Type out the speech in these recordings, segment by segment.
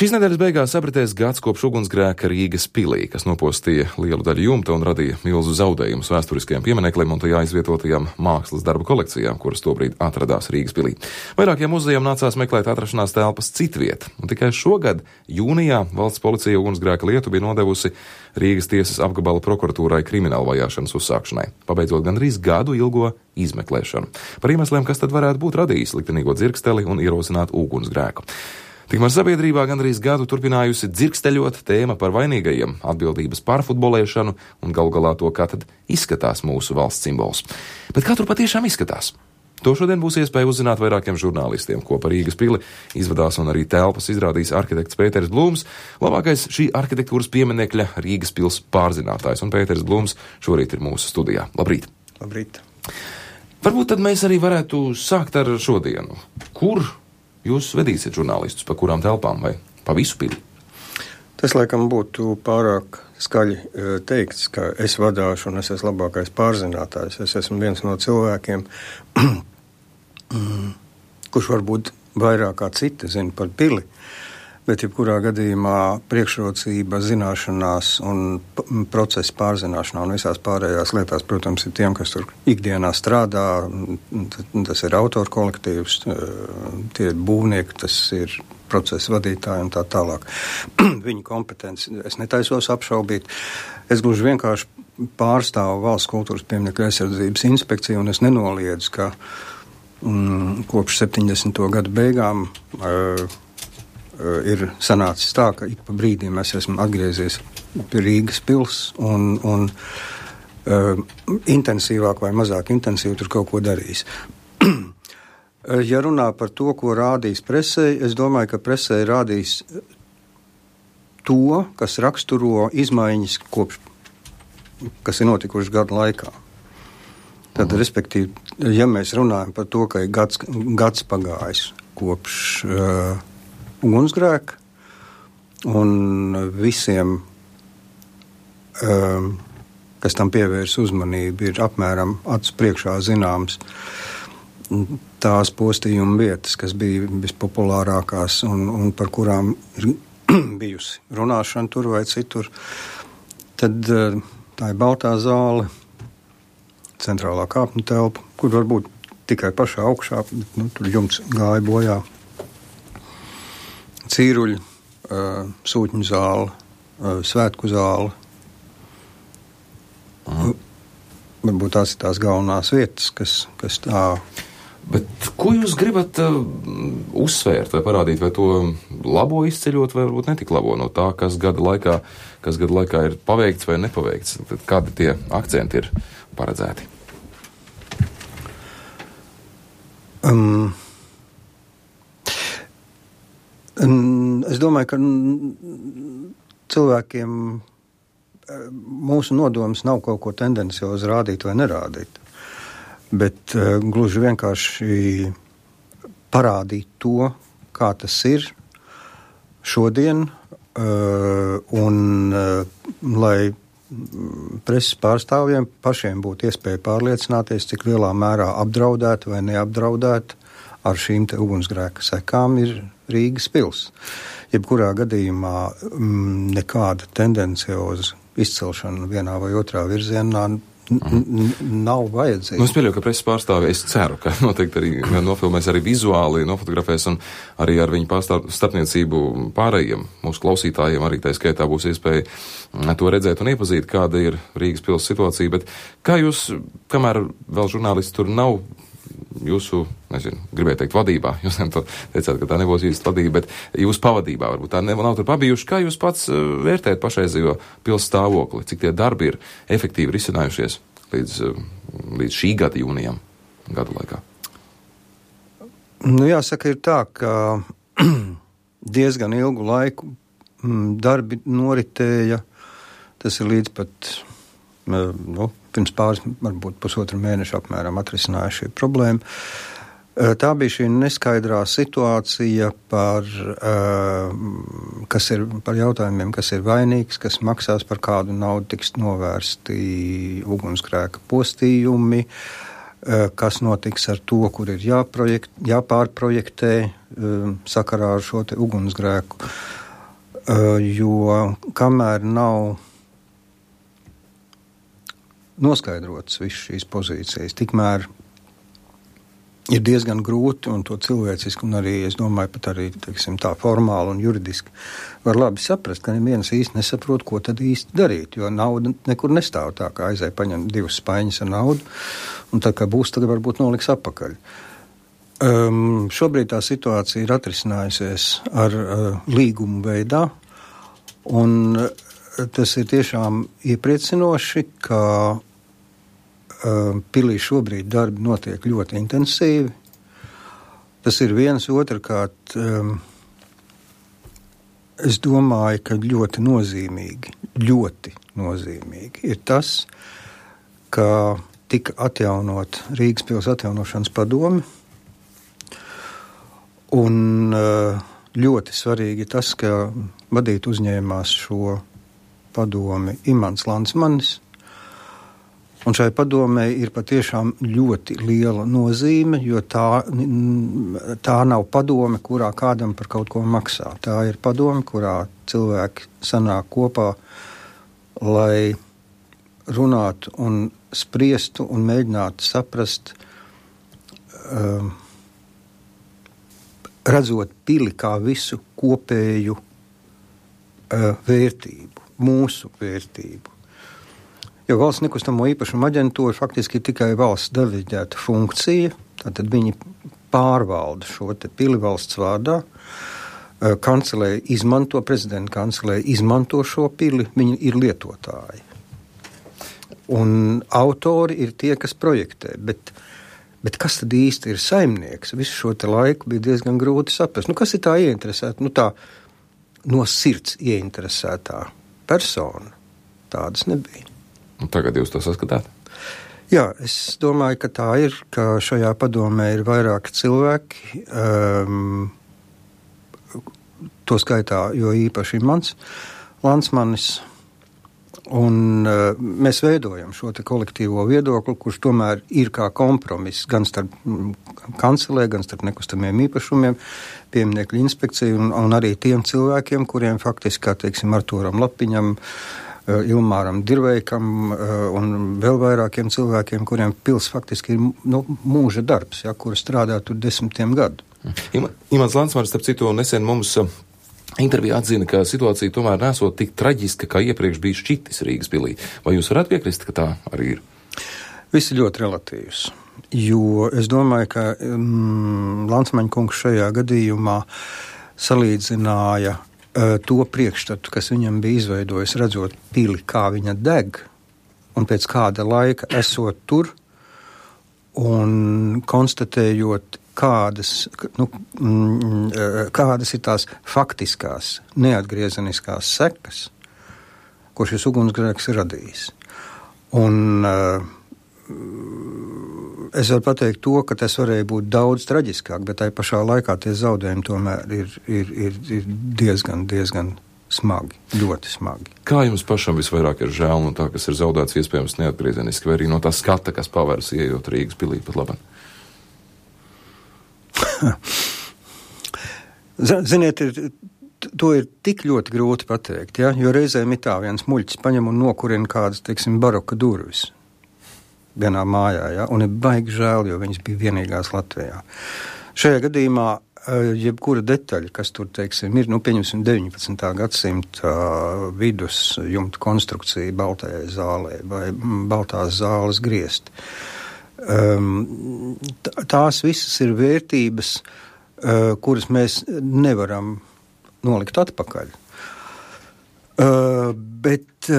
Šīs nedēļas beigās apritēs gads kopš ugunsgrēka Rīgas pilī, kas nopostīja lielu daļu jumta un radīja milzu zaudējumus vēsturiskajiem piemineklim un tajā izvietotajām mākslas darbu kolekcijām, kuras tobrīd atradās Rīgas pilī. Vairākiem muzejiem nācās meklēt atrašanās telpas citviet, un tikai šogad, jūnijā, valsts policija ugunsgrēka lietu bija nodevusi Rīgas tiesas apgabala prokuratūrai kriminālu vajāšanas uzsākšanai, pabeidzot gandrīz gadu ilgo izmeklēšanu. Par iemesliem, kas tad varētu būt radījis liktenīgo dzirksteli un ierosināt ugunsgrēku. Tikmēr sabiedrībā gandrīz gadu turpinājusi dzirksteļot tēma par vainīgajiem, atbildības pārfutbolēšanu un galu galā to, kā tad izskatās mūsu valsts simbols. Bet kā tur patiešām izskatās? To šodien būs iespēja uzzināt vairākiem žurnālistiem, ko par Rīgas pili izvadās un arī telpas izrādīs arhitekts Pēters Blūms, labākais šī arhitektūras pieminekļa Rīgas pils pārzinātājs. Un Pēters Blūms šorīt ir mūsu studijā. Labrīt! Labrīt! Varbūt tad mēs arī varētu sākt ar šodienu. Kur jūs vedīsiet žurnālistus, pa kurām telpām vai pa visu pili? Tas, laikam, būtu pārāk skaļi teikts, ka es vadāšu un es esmu labākais pārzinātājs. Es esmu viens no cilvēkiem, kurš varbūt vairāk kā citi zina par pili, bet jebkurā gadījumā priekšrocība zināšanās un procesa pārzināšanā un visās pārējās lietās, protams, ir tiem, kas tur ikdienā strādā. Tas ir autoru kolektīvs, tie ir būvnieki, tas ir procesa vadītāji un tā tālāk. Viņu kompetenci es netaisos apšaubīt. Es gluži vienkārši pārstāvu Valsts kultūras pieminekļu aizsardzības inspekciju un es nenoliedzu, ka kopš 70. gadu beigām ir sanācis tā, ka ik pa brīdiem es esmu atgriezies pie Rīgas pils un intensīvāk vai mazāk intensīvi tur kaut ko darījis. Ja runā par to, ko rādīs presē, es domāju, ka presē rādīs to, kas raksturo izmaiņas kas ir notikušas gadu laikā. Tad, respektīvi, ja mēs runājam par to, ka ir gads pagājis kopš ugunsgrēka un visiem, kas tam pievērs uzmanību, ir apmēram acu priekšā zināms tās postījuma vietas, kas bija vispopulārākās un par kurām ir bijusi runāšana tur vai citur, tad tā ir Baltā zāle, centrālā kāpņu telpa, kur varbūt tikai pašā augšā, bet tur jumts gāja bojā. Cīruļi, sūtņu zāle, svētku zāle. Varbūt tās ir tās galvenās vietas, kas tā... Bet ko jūs gribat uzsvērt vai parādīt, vai to labo izceļot, vai varbūt netik labo no tā, kas gada laikā ir paveikts vai nepaveikts? Tad kādi tie akcenti ir paredzēti? Es domāju, ka cilvēkiem mūsu nodoms nav kaut ko tendenciozi rādīt vai nerādīt, bet gluži vienkārši parādīt to, kā tas ir šodien, un lai preses pārstāvjiem pašiem būtu iespēja pārliecināties, cik lielā mērā apdraudēt vai neapdraudēt ar šīm te ugunsgrēka sekām ir Rīgas pils. Jebkurā gadījumā nekāda tendencioza izcelšana vienā vai otrā virzienā nav vajadzīga. Es pieļauju, ka preses pārstāvi, es ceru, ka noteikti arī nofilmēs, arī vizuāli nofotografēs un arī ar viņu starpniecību pārējiem mūsu klausītājiem arī tā skaitā būs iespēja to redzēt un iepazīt, kāda ir Rīgas pils situācija, bet kā jūs, kamēr vēl žurnālisti tur nav jūsu, gribēju teikt vadībā, jūs teicāt, ka tā nebūs īsti vadība, bet jūsu pavadībā varbūt tā nav tur pabijuši, kā jūs pats vērtējat pašreizējo pils stāvokli, cik tie darbi ir efektīvi risinājušies līdz šī gada jūnijam, gadu laikā? Jāsaka, ir tā, ka diezgan ilgu laiku darbi noritēja, tas ir līdz pat, pirms pāris, varbūt pusotru mēnešu apmēram atrisināja šī problēma. Tā bija šī neskaidrā situācija par jautājumiem, kas ir vainīgs, kas maksās, par kādu naudu tiks novērsti ugunsgrēka postījumi, kas notiks ar to, kur ir jāpārprojektē sakarā ar šo te ugunsgrēku. jo kamēr nav noskaidrotas visas šīs pozīcijas, tikmēr ir diezgan grūti un to cilvēciski un arī, es domāju, pat arī, teiksim, tā formāli un juridiski var labi saprast, ka neviens īsti nesaprot, ko tad īsti darīt, jo nauda nekur nestāv tā, kā aizēja paņemt 2 spaiņas ar naudu, un tā kā būs, tad varbūt noliks atpakaļ. Šobrīd tā situācija ir atrisinājusies ar līgumu veidā, un tas ir tiešām iepriecinoši, ka pilī šobrīd darbi notiek ļoti intensīvi. Tas ir viens, otrkārt, es domāju, ka ļoti nozīmīgi ir tas, ka tika atjaunot Rīgas pils atjaunošanas padome, un ļoti svarīgi tas, ka vadīt uzņēmās šo padomi Imants Landsmanis, un šai padomē ir patiešām ļoti liela nozīme, jo tā nav padome, kurā kādam par kaut ko maksā. Tā ir padome, kurā cilvēki sanāk kopā, lai runātu un spriestu un mēģinātu saprast, redzot pili kā visu kopēju vērtību, mūsu vērtību. Jo valsts nekustamo īpašumu aģentūra faktiski ir tikai valsts deleģēta funkcija, tātad viņi pārvalda šo te pili valsts vārdā, kancelēja izmanto, prezidenta kancelēja izmanto šo pili, viņi ir lietotāji. Un autori ir tie, kas projektē, bet kas tad īsti ir saimnieks? Visu šo te laiku bija diezgan grūti saprast. Kas ir tā ieinteresēta? Tā no sirds ieinteresētā persona. Tādas nebija. Un tagad jūs to saskatāt? Jā, es domāju, ka tā ir, ka šajā padomē ir vairāki cilvēki, to skaitā, jo īpaši mans Landsmanis, un mēs veidojam šo te kolektīvo viedokli, kurš tomēr ir kā kompromiss gan starp kancelē, gan starp nekustamiem īpašumiem, pieminiekļu inspekciju un arī tiem cilvēkiem, kuriem faktiski, kā teiksim, Artūram Lapiņam, Ilmāram Dirveikam un vēl vairākiem cilvēkiem, kuriem pils faktiski ir mūža darbs, kuri strādā tur 10 gadu. Imants Landsmanis, starp citu, nesen mums intervijā atzina, ka situācija tomēr nesot tik traģiska, kā iepriekš bija šķitis Rīgas pilī. Vai jūs varētu piekrist, ka tā arī ir? Viss ir ļoti relatīvs, jo es domāju, ka Landsmaņa kungs šajā gadījumā salīdzināja to priekšstatu, kas viņam bija izveidojis, redzot pili, kā viņa deg, un pēc kāda laika esot tur un konstatējot, kādas ir tās faktiskās, neatgriezeniskās sekas, ko šis ugunsgrēks ir radījis. Un es varu pateikt to, ka tas varēja būt daudz traģiskāk, bet tai pašā laikā tie zaudējumi tomēr ir diezgan smagi, ļoti smagi. Kā jums pašam visvairāk ir žēl no tā, kas ir zaudēts iespējams neatgriezeniski, vai arī no tā skata, kas pavērs ieejot Rīgas pilī pat labāk? Ziniet, to ir tik ļoti grūti pateikt, jo reizēm ir tā viens muļķis paņem un nokurina kādas, teiksim, baroka durvis vienā mājā, un ir baigi žēl, jo viņas bija vienīgās Latvijā. Šajā gadījumā jebkura detaļa, kas tur, teiksim, ir, pieņemsim 19. gadsimta vidus jumta konstrukcija Baltajai zālē vai Baltās zāles griesti. Tās visas ir vērtības, kuras mēs nevaram nolikt atpakaļ. Bet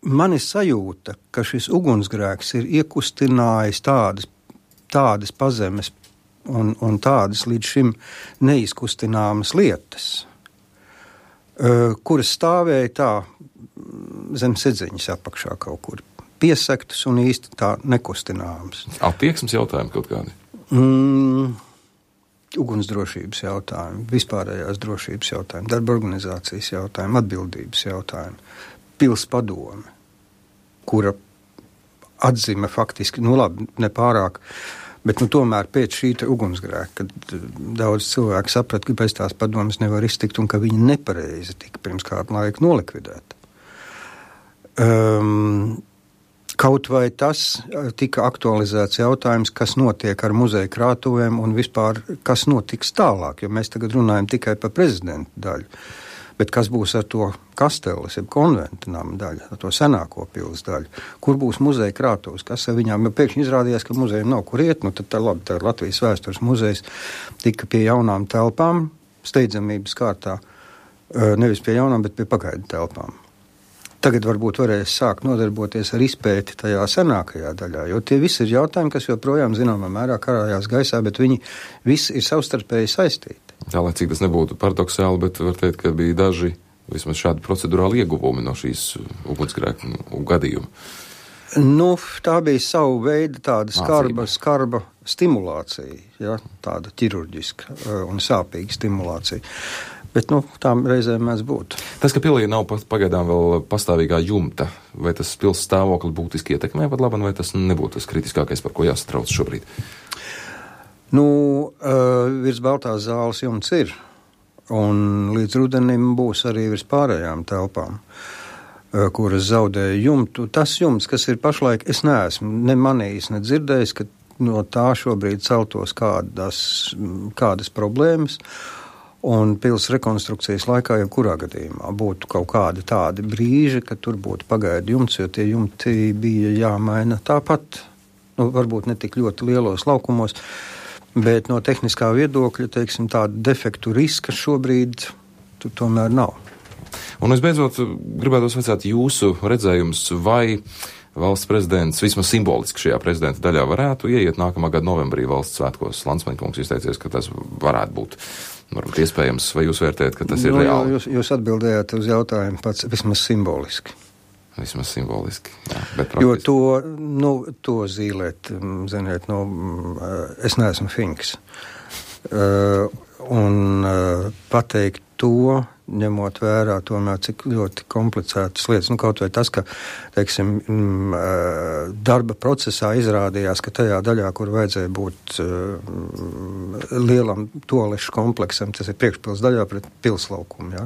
man ir sajūta, ka šis ugunsgrēks ir iekustinājis tādas pazemes un tādas līdz šim neizkustināmas lietas, kuras stāvēja tā zem sedziņas apakšā kaut kur, piesaktas un īsti tā nekustināmas. Attieksmes jautājumi kaut kādi? Ugunsdrošības jautājumi, vispārējās drošības jautājumi, darba organizācijas jautājumi, atbildības jautājumi. Pils padome, kura atzima faktiski, nepārāk Bet tomēr pēc šī ugunsgrēka, kad daudz cilvēku saprata, ka bez tās padomas nevar iztikt un ka viņi nepareizi tika pirms kādu laiku nolikvidēti. Kaut vai tas tika aktualizēts jautājums, kas notiek ar muzeja krātuvēm un vispār, kas notiks tālāk, jo mēs tagad runājam tikai par prezidenta daļu. Bet kas būs ar to kasteles, jeb konventa nama daļu, ar to senāko pils daļu? Kur būs muzeja krātuves? Kas ar viņām? Jo pēkšņi izrādījās, ka muzejiem nav kur iet. Tad Latvijas vēstures muzejs tika pie jaunām telpām, steidzamības kārtā, nevis pie jaunām, bet pie pagaidu telpām. Tagad varbūt varēs sākt nodarboties ar izpēti tajā senākajā daļā, jo tie visi ir jautājumi, kas joprojām zināmā mērā karājās gaisā, bet viņi visi ir savstarpēji saistīti. Jā, lai cik tas nebūtu paradoxāli, bet var teikt, ka bija daži vismaz šādi procedurāli ieguvumi no šīs ugunsgrēka gadījuma. Tā bija savu veidu tāda skarba stimulācija, ja, tāda ķirurģiska un sāpīga stimulācija. Bet, tām reizēm mēs būtu. Tas, ka pilī nav pagaidām vēl pastāvīgā jumta, vai tas pils stāvokli būtiski ietekmē pat labi, vai tas nebūtu tas kritiskākais, par ko jāsatrauc šobrīd? Virs Baltās zāles jumts ir, un līdz rudenim būs arī virs pārējām telpām, kuras zaudēja jumtu. Tas jumts, kas ir pašlaik, es neesmu ne manījis, ne dzirdējis, ka no tā šobrīd celtos kādas problēmas, un pils rekonstrukcijas laikā jau kurā gadījumā būtu kaut kādi tādi brīži, ka tur būtu pagaidu jumts, jo tie jumti bija jāmaina tāpat, varbūt ne tik ļoti lielos laukumos, bet no tehniskā viedokļa, teiksim, tādu defektu riska šobrīd tomēr nav. Un visbeidzot, gribētos vaicāt jūsu redzējums, vai valsts prezidents vismaz simboliski šajā prezidenta daļā varētu ieiet nākamā gada novembrī valsts svētkos. Landsmaņkungs izteicies, ka tas varētu būt varbūt iespējams, vai jūs vērtējat, ka tas ir reāli? Jūs atbildējāt uz jautājumu pats vismaz simboliski. Vismaz simboliski, jā, bet praktiski. Jo to zīlēt, ziniet, es neesmu finks. Un pateikt to, ņemot vērā tomēr, cik ļoti komplicētas lietas. Kaut vai tas, ka, teiksim, darba procesā izrādījās, ka tajā daļā, kur vajadzēja būt lielam toalešu kompleksam, tas ir priekšpils daļā pret pilslaukumu, ja?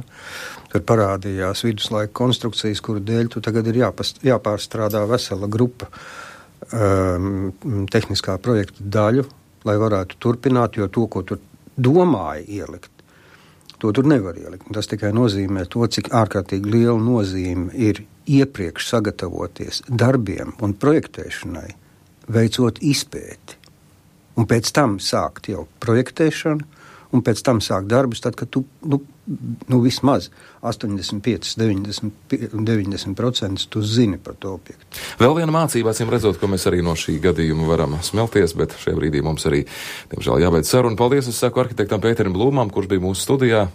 Tur parādījās viduslaika konstrukcijas, kuru dēļ tu tagad ir jāpārstrādā vesela grupa tehniskā projekta daļu, lai varētu turpināt, jo to, ko tu domāji ielikt, to tur nevar ielikt. Tas tikai nozīmē to, cik ārkārtīgi liela nozīme ir iepriekš sagatavoties darbiem un projektēšanai, veicot izpēti. Un pēc tam sākt jau projektēšanu, un pēc tam sākt darbus, tad, kad tu vismaz 85–90% tu zini par to objektu. Vēl viena mācība, acīm redzot, ko mēs arī no šī gadījuma varam smelties, bet šajā brīdī mums arī, diemžēl, jābeidz saruna. Paldies, es saku arhitektam Pēterim Blūmam, kurš bija mūsu studijā.